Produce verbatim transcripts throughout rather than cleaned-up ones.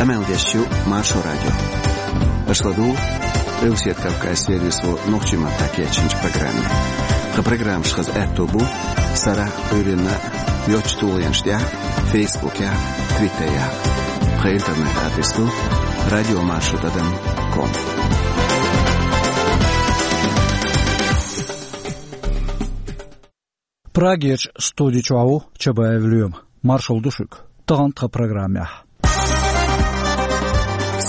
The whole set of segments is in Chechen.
Къамел деш ю Маршо радио. Аша ладугӀу Къилбаседа Кавказ сервисо нохчийн маттахь кечйинчу программе. Тхан программаш хаза аьтто бу сарахь, Ӏуьйранна йоцчу тулгӀенаш тӀехь, Фейсбукехь, Твиттерехь. Тхан интернет-адрес ду радио маршо тӀадам ком. Прагерчу студи чохь ву Чабаев Лоьма. Маршалла ду шуьга. Тахана тхан программехь.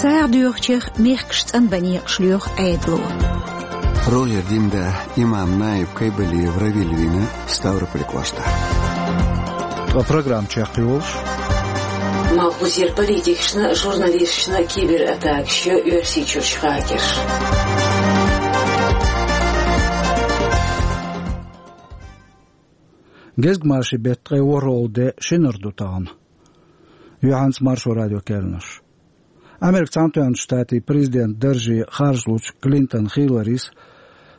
СагӀа доьхучех мехкаш цӀанбан некъаш лоьху Ӏедало. РогӀера динан да имам Наиб Кайбалиев Равиль вийна Ставрополь кӀоштахь. Ткъа программа чекхйолуш. Малхбузера политикашна, журналисташна кибератакаш йо Оьрсийчуьрчу хакерша. Гезгмашин беттан ткъе ворхӀалгӀа де, шинара ду тахана. Юьхьанца Маршо радион керланаш. Америкин Цхьаьнатоьхначу Штатийн президентан дарже харжалучу Клинтон Хилларис,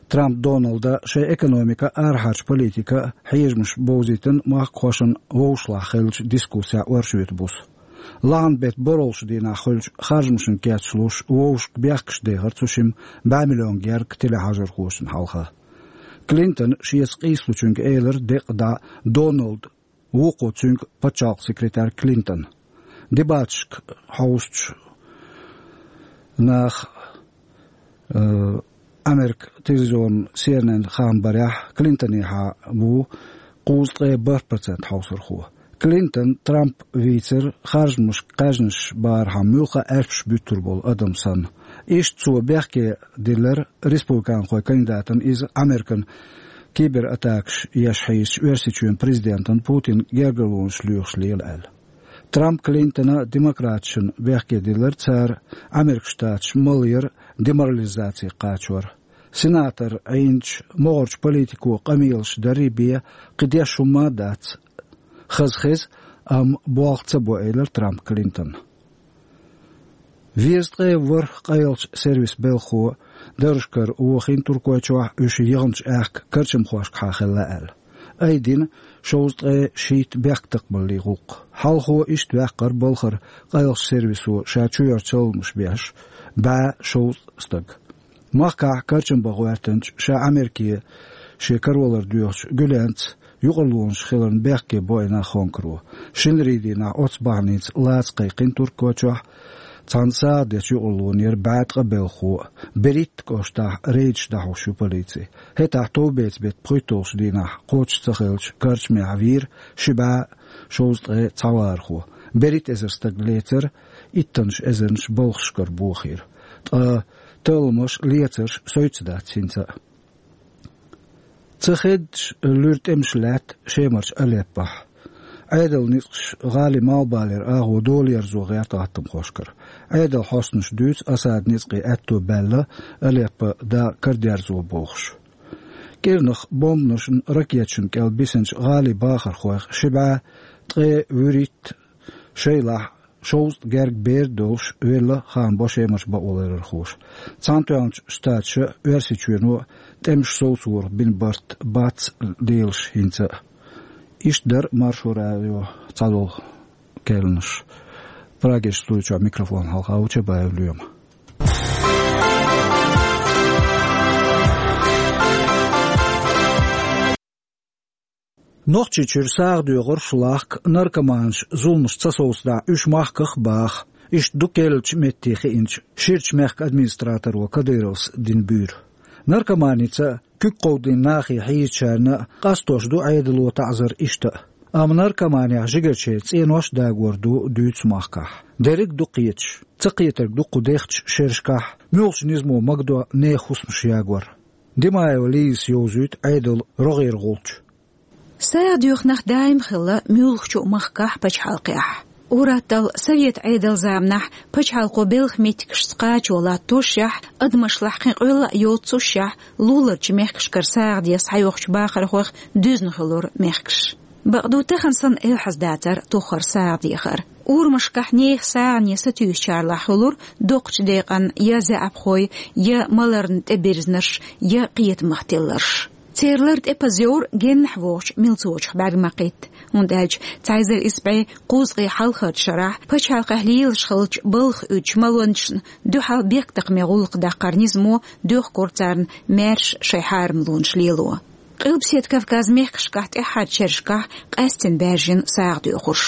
Трамп Доналда шайн экономика а, арахьарчу политика а хьежамаш бовзийтина махкахошна вовшашлахь хиллачу дискуссехь оршотан буса. Лахьан беттан борхӀалгӀачу дийнахь хуьлучу харжамашна кечлуш, вовшашка бехкаш дехира цу шимма бӀе миллион герга телехьажархочунна хьалха. Клинтона шеца къийсалучуьнга элира декъа дӀа Доналда, вукхо цуьнга пачхьалкхан секретарь Клинтона. Дебаташка хьовсучу наха, э, Америкин телевизионан C N N хаам барехь, Клинтонехьа ву кхузткъе бархӀ процент хьовсархо. Клинтон Трамп вийцира харжамашка кхаьжнаш барахьама муьлхха а аьшпаш буьттур болу адам санна. Иштта цо бехке диллира республиканхойн кандидатана иза Американа кибератакаш еш хьийзачу Оьрсийчоьнан президентана Путина гергарлонаш лоьхуш лела аьлла. Трамп Клинтона демократашна бехке диллира цара Америкин Штаташ малъяр деморализаци кхачор. Сенатор Ӏийначу могӀарчу политико къамелаш дарий бен кхин деш хӀумма а дац. Хаза хеза, амма болх ца бо, элира Трамп Клинтона. Везткъе ворхӀ къайлахчу сервисан белхахо даржашкара вохийна Туркойчохь, уьш яханчу аьхка карчамхошкахьа хилла аьлла. Айдина шовзткъе шийтта бехктакхамаллин гӀуллакх. Хьалхо иштта ваьккхира балхара къайлахчу сервисо ша чуьйра чалханаш беш бӀе шовзткъа стаг. Махкахь карчам бан гӀоьртинчу, ша Америке шен каравалар доьхучу Гуьленца юкъарлонаш хиларна бехке бойна Хонкаро. Шинарин дийнахь оцу бахьаница лаца кхайкхина Туркойчохь цхьана сагӀа дечу юкъарлонера бӀе ткъа белхахо а, Беритта кӀоштахь рейдаш дӀахьош ю полици. ХӀетахь товбецан беттан пхуьйтталгӀачу дийнахь кхочуш ца хиллачу карчамехь вийра ши бӀе шовзткъе цхьа вахархо. БерхӀитта эзар стаг лецара, иттаннаш эзарнаш балхашкара бохийра. Ткъа талламаш, лецарш совцур дац хӀинца а. Ца хеддаш луьра тӀемаш лаьтта Шемарчу Алеппохь. Ӏедалан ницкъаша гӀалин малхбалера агӀо долаерзо гӀерта гӀаттамхошкара. Ӏедалан хьостанаша дуьйцу, Асадан ницкъийн аьтто баьлла Алеппо дакъа карадерзо бохуш. КӀирнах бомбанашна, ракеташна кӀел бисинчу гӀалин бахархойх ши бӀе ткъе вуьрхӀитта, шайлахь шовзткъа гергга бер долуш, велла хаам бо Шемарчу бакъоларъярхоша. Цхьаьнатоьхначу Штаташа а, Оьрсийчоьно а тӀемаш совцорах бина барт бац лелаш хӀинца а. Иштта дара Маршо радион цхьадолу керланаш. Прагерчу студи чохь микрофон хьалха ву Чабаев Лоьма. Нохчийчуьра сагӀа доьхурш лахка, наркоманаш зуламаш ца совцадахь, уьш махках а баха. Иштта ду керлачу метте хиъначу Ширачу мехкан администраторо Кадыровс дина буьйр. Наркоманица куьг кховдийна нахе хьийзачарна а къастош ду Ӏедало таӀзар иштта а. Амма наркоманехь жигарчеран цӀенош а дагор ду дуьйцу махкахь. Дерриг а ду кхеташ. Ца кхетарг ду кху дехачу шерашкахь муьлхачу низамо магадо нехан хӀусамаш ягор. Димаева Лизас йовзуьйту Ӏедалан рогӀера гӀулч. СагӀа доьху нах даим хилла муьлххачу а махкахь, пачхьалкхехь. Ур-атталла совет Ӏедалан заманахь пачхьалкхо белхан меттигашца кхачо латтошшехь, адамашлахь кхин къоьлла а йоццушшехь, луларчу мехкашкара сагӀа де схьайохучу бахархойх дуьзна хуьлура мехкаш. Бакъду, тахана санна, элхьаза дацара тоххара сагӀа дехар. Урамашкахь нехан сагӀане сатуьйсучарлахь хуьлура доккхачу декъан я заьӀапхой, я маларна тӀебирзнарш, я кхетамах тилларш. Церан лар тӀепаза йовра геннахь вогӀучу милцочух бӀаьрг ма кхетта, хӀунда аьлча цхьа эзар исс бӀе кхузткъе хьалхарчу шарахь пачхьалкхехь лелаш хиллачу балха уьдучу малонашна дуьхьал бехктакхаман гӀуллакх даккхаран низамо доьхкура царна маьрша шайн хьарамлонаш лело. Къилбаседа Кавказан мехкашкахь тӀаьххьарчу шерашкахь къаьсттина баьржина сагӀадоьхурш.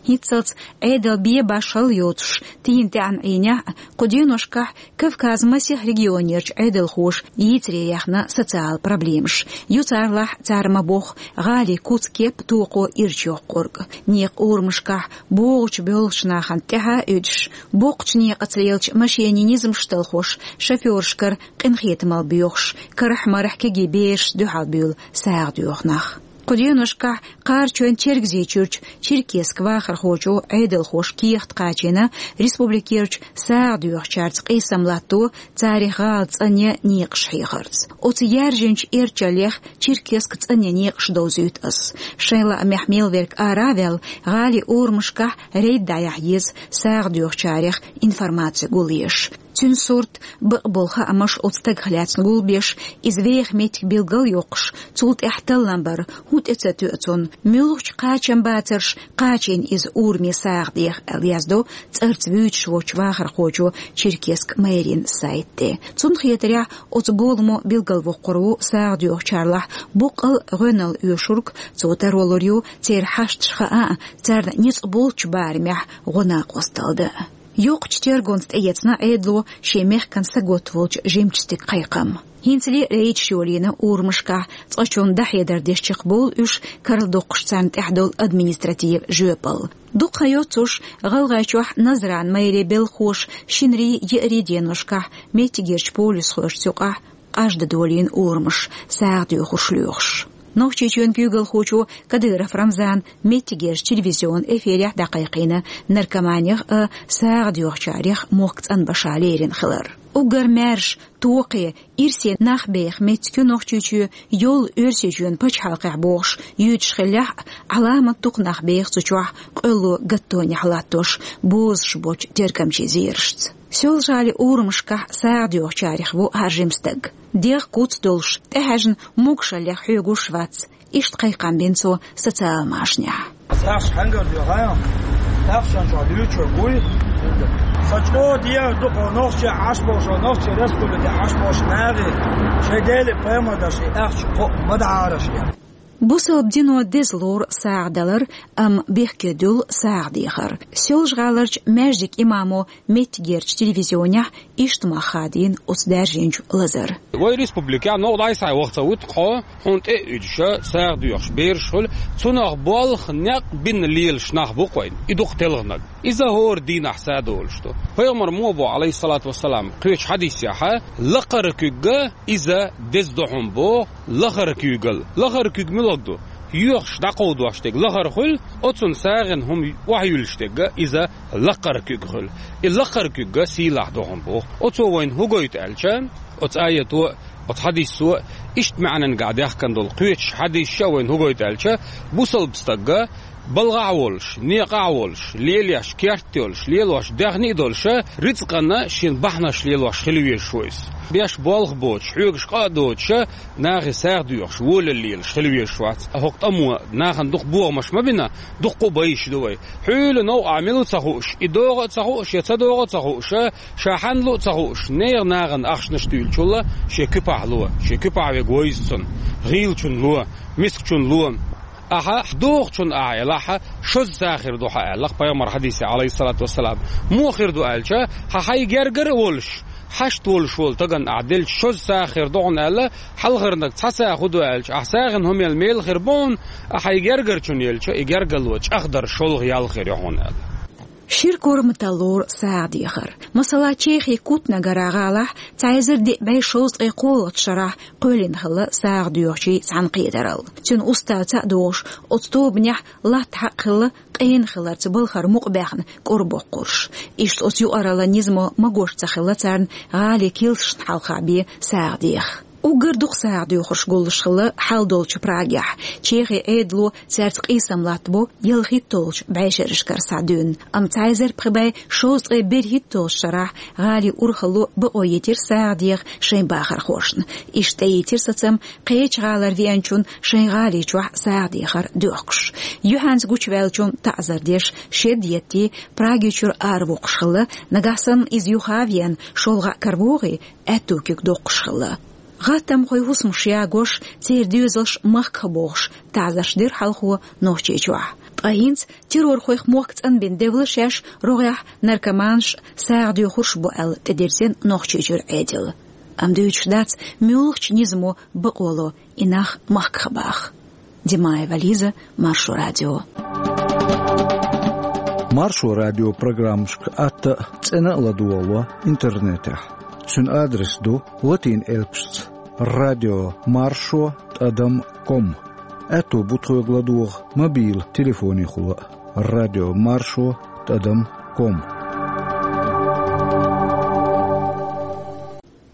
ХӀинццалц Ӏедал бен-башхалла йоцуш, тийна тӀаьхьарчу Ӏийнехь а, кху деношкахь Кавказан масех регионерчу Ӏедалхоша йийцаре яьхна социалан проблемаш. Ю царалахь, цара ма-бохху, гӀалин куц-кеп а, токхо а ирча йоккхург. Некъан урамашкахь богӀучу-боьлхучу нахана тӀаьхьа а уьдуш, боккхачу некъаца лелачу машенийн низамаш талхош, шофёрашкара къинхетамалла боьхуш, карахь-марахь кегий берашца дуьхьал буьйлу сагӀа доьху нах. Кху деношкахь Кхарачойн-Чергазийчуьрчу Черкесск вахархочо Ӏедалхоша кехат кхачийна республикерчу сагӀа доьхучаьрца къийсам латто, царах гӀала цӀанъян некъаш хьехарца. Оцу яьржинчу эрчаллех Черкесск цӀанъян некъаш довзуьйту ас. Шайн лаамехь мел верг ара а ваьлла, гӀалин урамашкахь рейд дӀаяхьа еза, сагӀа доьхучарех информаци гулъеш. Цуьнан сурт, бакъболу хаамаш оцу стагах лаьцна гулбеш, иза веха меттиг билгал а йоккхуш, цул тӀаьхьа таллам бар хӀун тӀе ца тоьа цунна, муьлхачу кхачамбацарша кхачийна иза ураме сагӀа деха, аьлла яздо цӀарца вуьйцуш волчу вахархочо Черкесск мэрин сайта тӀе. Цунна хетарехь, оцу боламо билгалвоккхур ву сагӀа доьхучарлахь боккъал гӀоьналла оьшург, цо таро лур ю церан хьашташ хаа а, царна ницкъ болчу барамехь гӀо-накъост талла дан а. Йоккхачу тергонца тӀеэцна Ӏедало шен мехкан саготта волчу жимачу стеган кхайкхам. ХӀинцале а рейдаш йолийна урамашкахь, цкъачунна дӀахьедар деш чекхбовлу уьш, карладоккхуш царна тӀехь долу административан жоьпалла. Дукха хан йоццуш, ГӀалгӀайчохь Назран мэрин белхахоша шинарий, еарий деношкахь меттигерчу полисхошца юкъахь къажда долийна урамаш, сагӀа доьхурш лоьхуш. Нохчийчоьнан куьйгалхочо Кадыров Рамзана меттигерчу телевизионан эфирехь дӀакхайкхийна наркоманех а, сагӀа доьхучарех а мохк цӀанбаша лерина хилар. Уггар маьрша, токхе, ирсе нах беха меттиг ю Нохчийчоь, йоллу Оьрсийчоьнан пачхьалкхехь бохуш юьйцуш хиллехь а, Ӏаламат дукха нах беха цу чохь къоьлло гаттонехь латтош, бозуш боцчу тергамчийн зерашца. Соьлжа-ГӀалин урамашкахь сагӀа доьхучарех ву хӀара жима стаг. ДегӀ куц долуш, тӀехьаьжна могушаллех хьоьгуш вац. Иштта кхайкхам бина цо социалан машанехь. СагӀаш хьаьнгара доьху, тахчанчохь дуьйцур буй. Сан чӀогӀа дегӀ ду кху нохчий Ӏаш болуш, нохчийн республике Ӏаш болуш нахе, шайн Деле пайхамар даши ахча кхоъ ма дахьара шен. Бусалба дино деза лору сагӀа далар, амма бехке дуьллу сагӀа дехар. Соьлжа-ГӀаларчу маьждиган имамо меттигерчу телевизионехь иштта мах хадийна оцу даьржинчу лазар. Вай республикехь новкъа дӀасхьа ваха ца вуьту хьо, хьуна тӀе а уьдуша, сагӀа доьхуш бераш хуьлу, цунах болх, некъ бина лелаш нах бу-кх вайн, и дукха телханарг. Иза хӀора дийнахь са а долуш ду. Пайхамар мо боху, Ӏалайхиссалату вассалам, кхечу хьадисехьа, лакхара куьг иза деза ду хьуна боху, лахара куьйгалла. Лахара куьг муьлха ду? Йоьхуш дӀакховдош дерг лахара хуьлу, оцунна сагӀина хӀума охьаюьллуш дерг иза лакхара куьг хуьлу. И лакхара куьг сийлахь ду хьуна боху. Оцо вайна хӀун гойту аьлча, оцу аято а, оцу хьадисо а, иштта маьӀнангахь даьхкина долу кхечу хьадисаша а вайна хӀун гойту аьлча, бусалба стаг балхахь а волуш, некъахь а волуш, лелош керт йолуш, лелош даьхни а долуша, рицкъана шен бахьанаш лелош хила везаш ву иза. Беш болх боцуш, хьоьгуш къа а доцуша, нахе сагӀа доьхуш, волалла лелаш хила везаш вац. ХӀокху тӀамо нахана дукха бохамаш ма бина, дуккха а байш ду вай. Хьуьйла новкъахь мила ву ца хууш, и догӀу а ца хууш, я ца догӀу а ца хууша, ша хьанна лу а ца хууш, нехан нахана ахчанаш туьйлучул шен куьпахь ло, шен куьпахь верг вовза цунна, гӀийлачунна ло, мискачунна ло. Ахьа дохучунна ахьа елахь, шозза сагӀа хир ду хьан аьлла-кх пайхамар хьадисехь, Ӏалайхиссалату вассалам. Муха хир ду аьлча, хьан хьайн гергара а волуш, хьашт волуш волу стагана ахьа делча шозза сагӀа хир ду хьуна аьлла, хьалхарниг цхьа сагӀа хӀун ду аьлча, ахьа сагӀина хӀума елла мела хир бу хьуна, ахьа хьайн гергара чунна елча, и гергарло чӀагӀдар шолгӀа ял хир ю хьуна аьлла. Шира корматалла лору сагӀа дехар. Масала, Чехин Кутнагара гӀалахь цхьа эзар диъ бӀе шовзткъе кхоалгӀачу шарахь кхоьллина хилла сагӀа доьхучийн цхьаьнакхетаралла. Цуьнан уставца а догӀуш, оцу тобанехь латта хьакъ хилла къена хиларца балхара мукъабаьхна кӀорбоккхурш. Иштта оцу юкъараллан низамо магош ца хилла царна гӀалин килсашна хьалха бен сагӀа деха. Уггар дукха сагӀа доьхурш гуллуш хилла хьал долчу Прагехь. Чехин Ӏедало цаьрца къийсам латтабо ялхитталгӀачу бӀешерашкара схьа дуьйна. Амма цхьа эзар пхи бӀе шовзткъе берхӀитталгӀачу шарахь гӀалин урхалло бакъо йитира сагӀа деха шайн бахархошна. Иштта тӀеийцира сацам кхечу гӀалара веанчунна шайн гӀали чохь сагӀа дехар доьхкуш. Юьхьанца гучуваьллачунна таӀзар деш, шед еттий, Праги чуьра аравоккхуш хилла, нагахь санна иза юха а веана, шолгӀа а каравогӀий, аьтту куьг доккхуш хилла. ГӀаттамхойн хӀусамаш ягош, церан доьзалш махках бохуш, таӀзарш дира хьалхо Нохчийчохь. Ткъа хӀинца террорхойх мохк цӀанбина девлла шаьш, рогӀехь наркоманаш, сагӀа доьхурш бу аьлла тӀедирзина Нохчийчуьра Ӏедал. Амма дуьйцуш дац, муьлхачу низамо бакъо ло и нах махках баха. Димаева Лиза, Маршо радио. Маршо радио программашка атта а, цӀена а ладогӀало интернетехь. Цуьнан адрес ду латин элпашца: радио маршо тӀадам ком. Аьтто бу тхоьга ладогӀа мобил телефонехула а: радио маршо тӀадам ком.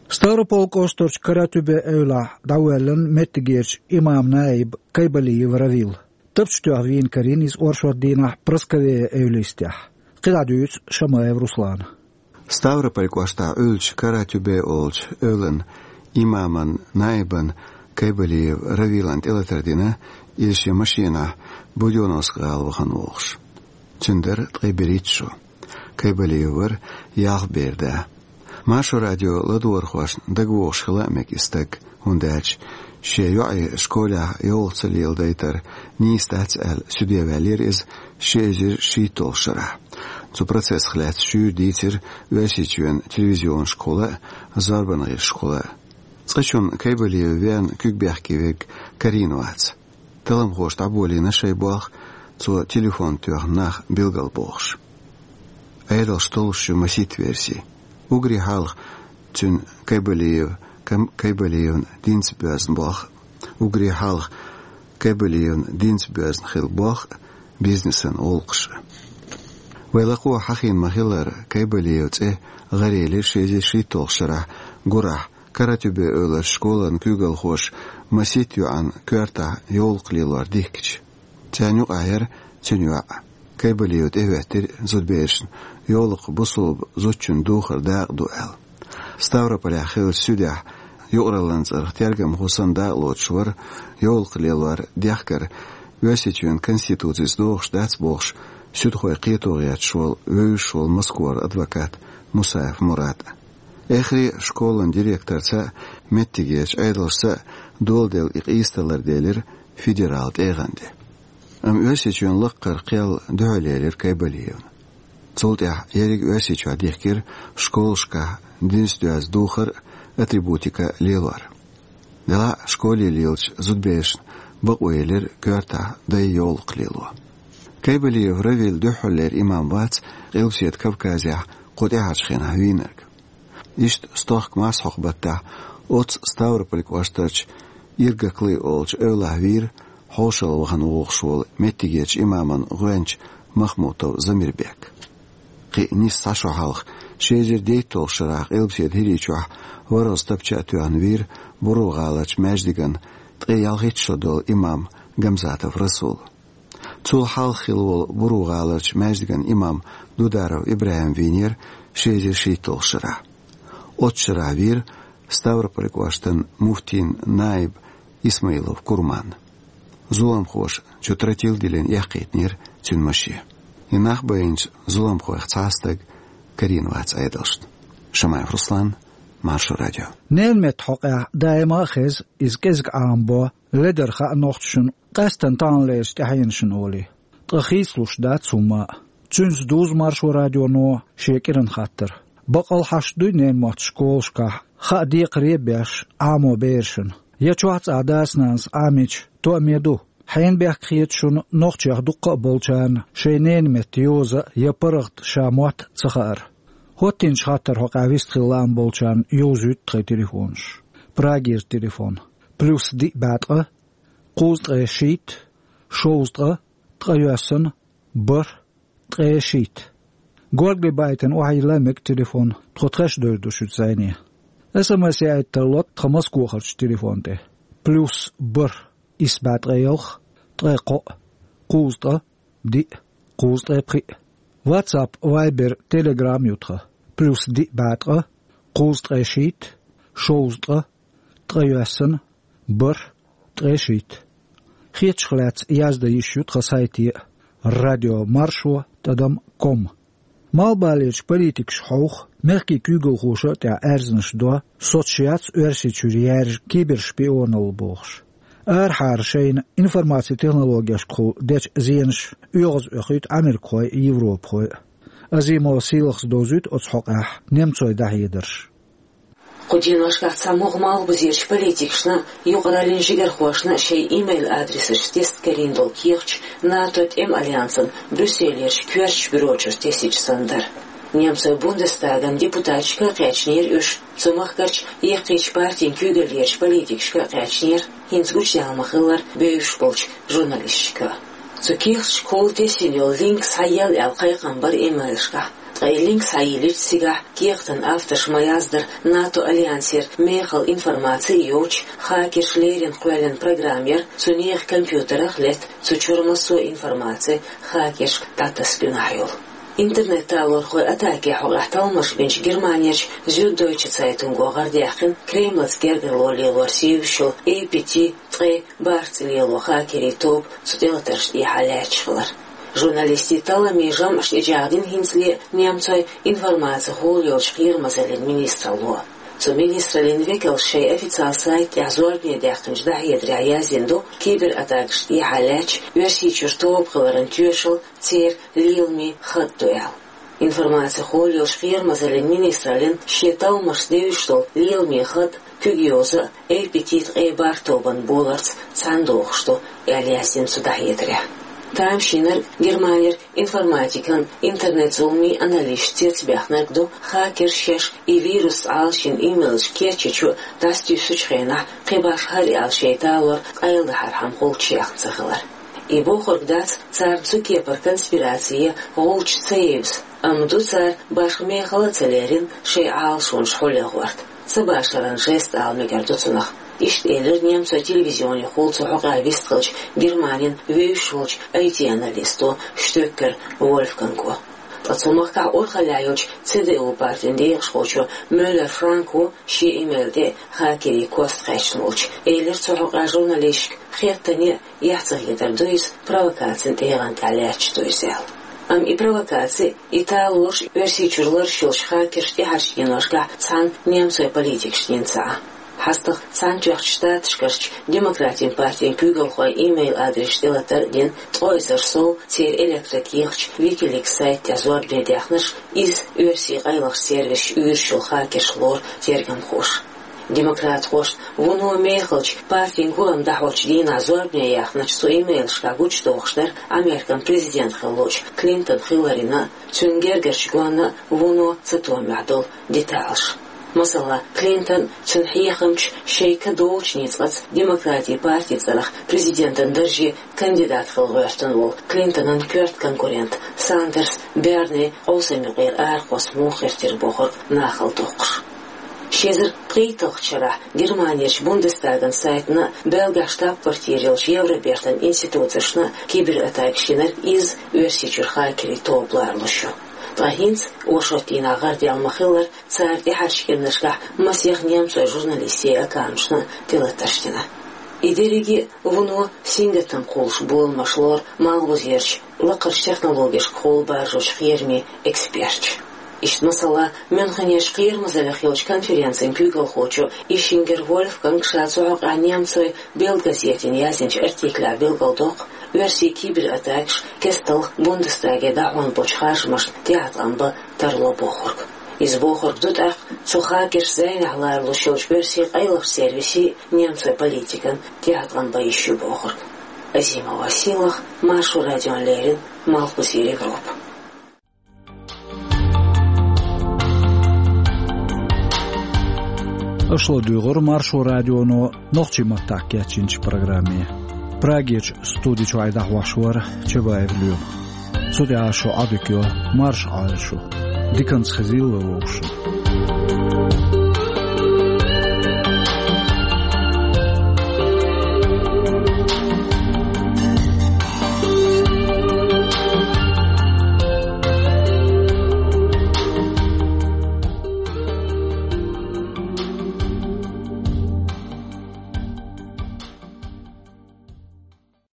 Ставрополь кӀоштарчу Каратюбе эвлахь дӀавоьллина меттигерчу имам-наиб Кайбалиев Равил. Тапча тоьхна вийна карийна иза оршот дийнахь Прасковея эвлистехь. КхидӀа дуьйцу Шамаев Руслана. Ставрополь кӀоштахь Ӏуьллучу Каратюбе олучу эвлан имаман наибан Кайбалиев Равилан тӀелатар дина, иза шен машенахь Будённовск гӀала вахана вогӀуш. Цуьнан дара ткъе берхӀитта шо. Кайбалиев вара ялх бер да. Маршо радио ладогӀархошна дагавогӀуш хила а мега и стаг, хӀунда аьлча шен йоӀе школехь йовлакх ца леладайтар нийса дац аьлла, суьде ваьллера иза ши эзар шийтталгӀачу шарахь. Цу процессах лаьцна шуьйра дийцира Оьрсийчоьнан телевизионашкахула а, зорбанан гӀирсашкахула а. Цкъачунна Кайбалиев веана куьг бехке верг карийна вац. Талламхоша дӀаболийна шайн болх, цо телефон тоьхна нах билгалбохуш. Ӏедалш толлуш ю масийтта верси. Уггаре хьалха цуьнан Кайбалиев, Кам-, Кайбалиевна динца боьзна болх, уггаре хьалха Кайбалиевна динца боьзна хилла болх, бизнесан гӀуллакхаш. Вай лакхо хьахийна ма-хиллара, Кайбалиев цӀе гӀарелира ши эзар шийтталгӀачу шарахь гурахь Каратюбе эвларчу школан куьйгалхоша масийтта йоӀана коьртахь йовлакх лелор дихкича. Царна юкъахь яра цуьнан йоӀ. Кайбалиев тӀехӀоьттира зудаберашна йовлакх бусулба зудчун духар дакъа ду аьлла. Ставрополехь хиллачу суьдехь юкъараллин цӀарах тергамхо санна дакъа лоцуш вара йовлакх лелор дехкар Оьрсийчоьнан конституцица догӀуш дац бохуш, суьдхойн кхето гӀерташ волу вевзаш волу Москвара адвокат Мусаев Мурад. Эххар а школан директорца а, меттигерчу Ӏедалшца а доладелла и къийса таллар делира федералан тӀегӀан тӀе. Амма Оьрсийчоьнан лаккхара кхел дуьхьал елира Кайбалиевна. Цул тӀаьхьа ерриг Оьрсийчохь дихкира школашкахь динца доьзна духар а, атрибутика а лелор. Делахь а школе лелачу зудаберашна бакъо елира коьртахь дай йовлакх лело. Кайбалиев Равил дуьххьарлера имам вац Къилбаседа Кавказехь кху тӀаьхьарчу хенахь вийнарг. Иштта стохка марсхьокху баттахь оццу Ставрополь кӀоштарчу Иргаклы олучу эвлахь вийра хьошалла вахана вогӀуш волу меттигерчу имаман гӀоьнча Махмутов Замирбек. Кхин а нийса цхьа шо хьалха, ши эзар дейтталгӀачу шарахь Къилбаседа ХӀирийчохь ворхӀазза тапча а тоьхна вийра Буро-гӀаларчу маьждиган ткъе ялхитта шо долу имам Гамзатов Расул. Цул хьалха хилла волу Буро-гӀаларчу маьждиган имам Дударов ИбрахӀим вийнера ши эзар шийтталгӀачу шарахь. Оццу шарахь вийра Ставрополь кӀоштан муфтин наиб Исмаилов Курман. Зуламхоша чу тротил диллина эккхийтинера цуьнан машен. И нах байинчу зуламхойх цхьа а стаг карийна вац Ӏедалшна. Шамаев Руслан, Маршо радио. Ненан меттан хьокъехь даима а хеза, иза кӀезиг Ӏамабо, ледара хаьа нохчашна, къаьсттина таханлерчу тӀаьхьенашна олий. Ткъа хийцалуш дац хӀумма а. Цуьнца дузу Маршо радионо шен кӀиран хаттар. Баккъал хьашт дуй ненан мотт школашкахь, хаа декхаре а беш, Ӏамо берашна? Я чохь цкъа дас-нанас Ӏамийча, тоаме ду? Хьенан бехк хета шуна нохчех дуккха а болчарна шайн ненан меттан йоза я паргӀат ша мотт ца хаар? ХӀоттийначу хаттаран хьокъехь вистхила лаам болчарна йовзуьйту тхайн телефонаш. Прагера телефон: плюс диъ бӀе ткъа, кхузткъе шийтта, шовзткъа, ткъайоьсна, бархӀ, ткъе шийтта. Горгали байтина охьайилла мега телефон, тхо тхаьш девр ду шуьца зӀене. СМС яийта тарло тхан Москвахарчу телефон тӀе: плюс бархӀ, исс бӀе ткъе ялх, ткъе кхоъ, кхузткъа, диъ, кхузткъе пхиъ. WhatsApp, Viber, Telegram ю тхан: плюс диъ бӀе ткъа, кхузткъе шийтта, шовзткъа, ткъе йоьссана, бархӀ, ткъе шийтта. Хетачух лаьцна яздан йиш ю тхан сайте: радио маршо тӀадам ком. Малхбалерчу политикаша хьовха, мехкийн куьйгалхоша а тӀехь аьрзнаш до, соцуш яц Оьрсийчуьра яьржа кибершпионалла бохуш. Арахьара шайна информацин технологешкахула дечу зенаша оьгӀаз оьхуьйту америкахой а, европахой а. Азимова Сийлахас довзуьйту оцу хьокъехь немцойн дӀахьедарш. Кху деношкахь цхьа могӀа малхбузерчу политикашна а, юкъараллин жигархошна а шайн имейл-адресаш тесна карийна долу кехаташ НАТО тӀеман альянсан Брюсселерчу коьртачу бюрочуьра тесича санна дара. Немцойн Бундестаган депутаташка а кхаьчнера уьш, цу махкарчу яккхийчу партийн куьйгаллерчу политикашка а кхаьчнера, хӀинца гучудаьлла ма-хиллара, бевзаш болчу журналисташка а. Цу кехаташкахула тесна йолу линк схьаелла аьлла кхайкхам бара имейлашкахь. Ткъа и линк схьайиллича, цигахь кехатан авторша ма-яздара, НАТО альянсера мехала информаци йоцуш, хакерша леррина кхоьллина программа яра, цу нехан компьютерах а летта цу чуьра массо а информаци хакершка дӀатасса гуьнахь йолу. Интернет-талорхойн атакин хьокъехь талламаш бинчу Германерчу Зюддойче Цайтунго гӀардаьккхина Кремлаца гергарло лелор сийвеш йолу эй пи ти ткъе бархӀ цӀе лело хакерийн тоба цу тӀелатаршна тӀехьа лаьтташ хилар. Журналистийн талламийн жамӀаш тӀечӀагӀдина хӀинцале немцойн информацехула йолчу кхерамазаллин министралло. Цу министраллин векалша шайн официал сайта тӀехь зорбане даьккхинчу дӀахьедарехь яздина ду кибератакашна тӀехьа лаьтташ Оьрсийчуьра тоба хиларан тоьшалла церан леламийн хатӀ ду аьлла. Информацехула йолчу кхерамазаллин министраллин шен талламашца девзаш долу леламийн хатӀ куьг йоза а, эй пи ти ткъе бархӀ тобанан боларца цхьаьна дохуш ду, аьлла яздина цу дӀахьедарехь. Тамашийнарг Германера информатикан, интернет-зуламийн аналисташ цецбаьхнарг ду, хакерша шаьш и вирус Ӏалашйина имейлаш кечйича а, дӀасатуьйсучу хенахь кхин башха хӀара аьлла шайн талор къайладахьархьама гӀулч яхна ца хилар. И бохург дац царна цу кепара конспираци я гӀулч ца евза, амма ду цара башха мехала а ца лерина шайн Ӏалашонаш хьулъягӀорта. Ца башаран жест ала мегар ду цунах. Иштта элира немцойн телевизионехула цу хьокъехь вистхиллачу Германин вевзаш волчу ай ти-аналисто Штёккер Вольфганго. Ткъа цу махкахь урхаллехь йолчу Ц Д У партин декъашхочо Мюллер Франко шен имейл тӀе хакерийн кост кхаьчна волчу элира цу хьокъехь журналисташка хеттане а, эхь ца хетар ду иза, провокацин тӀегӀан тӀехь лаьтташ ду иза аьлла. Амма и провокаци, и талораш Оьрсийчуьра лараш йолчу хакерша тӀаьхьарчу деношкахь цхьана немцойн политикашна йина ца Ӏа. ХьастагӀа Цхьаьнатоьхначу Штаташкарчу Демократийн партин куьйгалхойн имейл-адресаш тӀелатар а дина, ткъе эзар сов церан электрокехаташ Wikileaks сайта тӀехь зорбане даьхнарш, иза оьрсийн къайлахчу сервисаша уьйраш йолу хакерш лору тергамхоша. Демократхошна вуно мехалчу партин гулам дӀахьочу дийнахь зорбане яьхначу цу имейлашкахь гучудохуш дара Американ президент хиллачу Клинтон хиларна а, цуьнан гергарчу гонна а вуно цатоьхнехь долу деталаш. Масала, Клинтон, цуьнан хьехамча шайн ка долучу ницкъаца Демократийн партин цӀарах президентан дарже кандидат хила гӀоьртина волу Клинтонан коьрта конкурент Сандерс Берни къовсам юкъера арахьа кхосса муха хир тера бохург нахала доккхуш. Ши эзар пхийтталгӀачу шарахь Германерчу Бундестаган сайтана а, Бельгахь штаб-квартира йолчу Евробертан институцешна а кибератакаш йинарг изза Оьрсийчуьра хакерийн тоба лоруш ю. Ткъа хӀинца, оршот дийнахь гӀардаьлла ма-хиллара, цара тӀаьхьарчу кӀиранашкахь масех немцойн журналистийн аккаунташна а тӀелатарш дина. И дерриге а вуно сингаттам кхуллуш боламаш лору малхбузерчу лакхарчу технологешкахула баржочу кхерамийн эксперташа. Иштта, масала, Мюнхенерчу кхерамазаллех йолчу конференцин куьйгалхочо Ишингер Вольфганга ша цу хьокъехь немцойн Бельд газетана яздинчу артиклехь билгалдоккху оьрсийн кибератакаш кестта Бундестаге дӀахьон болчу харжамашна тӀехьатакхам бан тарло бохург. Иза бохург ду тӀаккха цу хакерш зӀенехь лоруш йолчу оьрсийн къайлахчу сервисийн, немцойн политикан тӀехьатакхам бан йиш ю бохург. Азимова Сийлаха, Маршо радиона леррина, Малхбузера Европа. Аша ладуьйгӀура Маршо радионо нохчийн маттахь кечйинчу программе. Прагерчу студи чуьра дӀахьош вара Чабаев Лема. Цу тӀехь шун Ӏодика йо, марша Ӏойла шу. Диканца хезийла вай вовшашна.